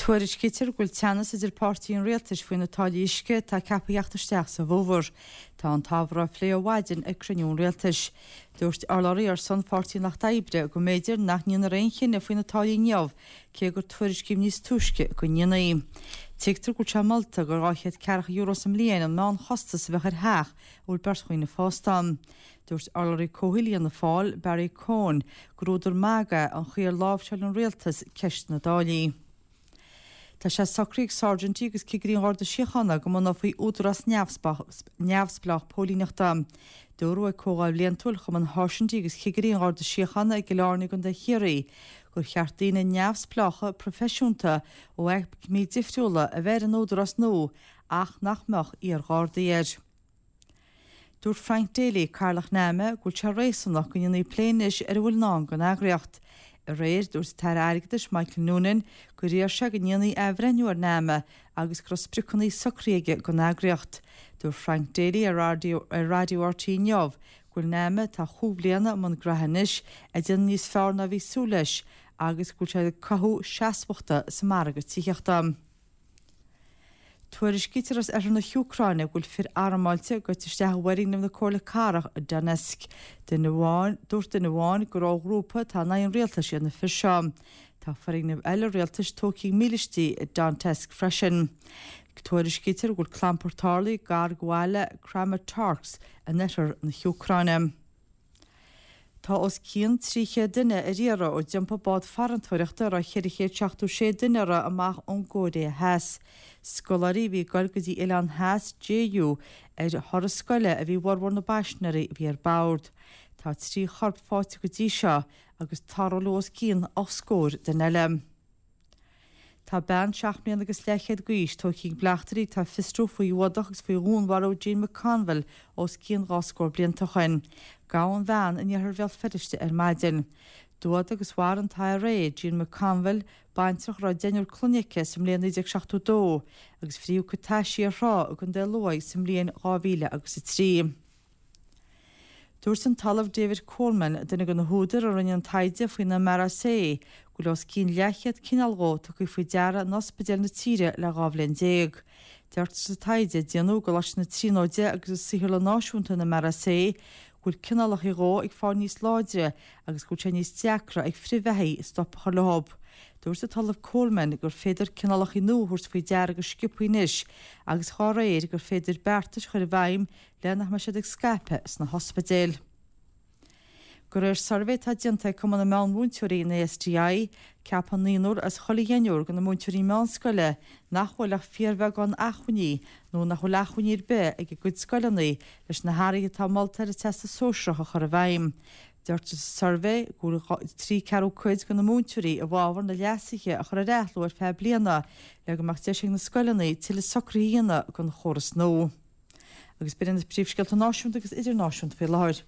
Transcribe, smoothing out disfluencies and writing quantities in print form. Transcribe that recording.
Tuairiscítear go bhfuil teannas idir páirtithe an rialtais faoi na táillí uisce atá ceaptha a theacht isteach sa bhfómhar. Tá an t-ábhar á phlé ó mhaidin ag cruinniú an rialtais. Dúirt urlabhraí ar son Pháirtí an Lucht Oibre go mb'fhéidir nach ndéanfar aon chinneadh faoi na táillí inniu cé gur tuairiscíodh níos túisce go ndéanfaí. Tuigtear go bhfuil sé molta gur €240 sa mbliain an meánchostas a bheadh ar theach a bhfuil beirt dhaoine fásta ann. Dúirt urlabhraí comhshaoil Fhianna Fáil, Barry Cowen, gur údar magaidh an chaoi ar láimhseáil an rialtas ceist na dtáillí. Tá sé socraithe ag sáirsintí agus cigirí an Gharda Síochána go mbunófaí údarás neamhspleách póilíneachta. Dúradh ag comhdháil bhliantúil Chumann Sháirsintí agus Chigirí an Gharda Síochána i gCill Airne i gContae Chiarraí gur cheart daoine neamhspleácha proifisiúnta ó aicmí difriúla a bheith ar an údarás nua ach nach mbeadh iar-Ghardaí air. Dúirt Frank Daly, Cathaoirleach NAMA, go bhfuil sé réasúnach go ndéanfaí plé anois ar a bhfuil i ndán don eagraíocht. Aréir, dúirt an tAire Airgeadais Michael Noonan gur iarr sé go ndéanfaí athbhreithniú ar NAMA agus go raibh spriocanna socraithe aige don eagraíocht. Dúirt Frank Daly ar Raidió RTÉ inniu go bhfuil NAMA, atá chúig bhliana i mbun graithe anois, ag déanamh níos fearr ná a bhí súil leis agus go bhfuil sé ag cothú seasmhachta sa margadh tithíochta. Tuairiscítear as oirthear na hÚcráine go bhfuil fir armáilte goite isteach i bhfoirgneamh na Comhairle Cathrach i Donetsk. Duine amháin, dúirt duine amháin gur ó ghrúpa atá in aghaidh an rialtais iad na fir seo. Tá foirgneamh eile rialtais tógtha ag mílístí i Donetsk freisin. Tuairiscítear go bhfuil clampar tarlaithe gar do bhaile Kramatorsk in oirthear na hÚcráine. Tá os cionn 300 duine ar iarraidh ó d'iompaigh bád farantóireachta a raibh 476 duine uirthi amach ón gCóiré Theas. Scoláirí a bhí ag goil go dtí oileán theas Jeju ar thuras scoile a bhí i bhformhór na bpaisinéirí a bhí ar bord. Tá 3 chorp faighte go dtí seo agus tarrtháladh os cionn 8 scór duine eile. Tá bean 7 mbliana agus leathchéad d'aois tógtha ag bleachtairí atá ag fiosrú faoi fhuadach agus faoi dhúnmharú Jean McConville os cionn 2 scór blianta ó shoin. Gabhadh an bhean in iarthar Bhéal Feirste ar maidin. D'fhuadaigh agus mharaigh an t-IRA Jean McConville, baintreach a raibh deichniúr clainne aici, sa mbliain 1972 agus frítheadh a cuid taisí ar thrá i gContae Lú sa mbliain 2003. Dúirt an tOllamh David Coleman, duine de na húdair a rinne an taighde faoin MRSA, go bhfuil os cionn leathchéad cineál dhó tugtha faoi deara in ospidéil na tíre le 12 bhliain. Deirtear sa taighde a déanadh i gColáiste na Tríonóide agus i Saotharlann Náisiúnta an MRSA go bhfuil cineálacha dhó ag fáil níos láidre agus go bhfuil sé níos deacra ag frithbheathaí stop a chur leo. Dúirt an tOllamh Coleman gur féidir cineálacha nua a thabhairt faoi deara go sciobtha anois agus dhá réir gur féidir beartais a chur i bhfeidhm le nach mbeidh siad ag scaipeadh sna hospidéil. De réir suirbhé atá déanta ag Cumann na Meánmhúinteoirí, an ASTI, ceapann naonúr as chuile dheichniúr de na múinteoirí meánscoile nach bhfuil ach fíorbheagán acmhainní nó nach bhfuil acmhainní ar bith ag a gcuid scoileanna leis na hathruithe atá molta ar an Teastas Sóisearach a chur i bhfeidhm. Deirtear sa suirbhé go bhfuil 3 ceathrú cuid de na múinteoirí i bhfabhar na leasuithe a chur ar athló ar feadh bliana le go mbeadh deis ag na scoileanna tuilleadh socruithe a dhéanamh don chóras nua. Agus b'in iad na príomhscéalta náisiúnta agus idirnáisiúnta faoi láthair.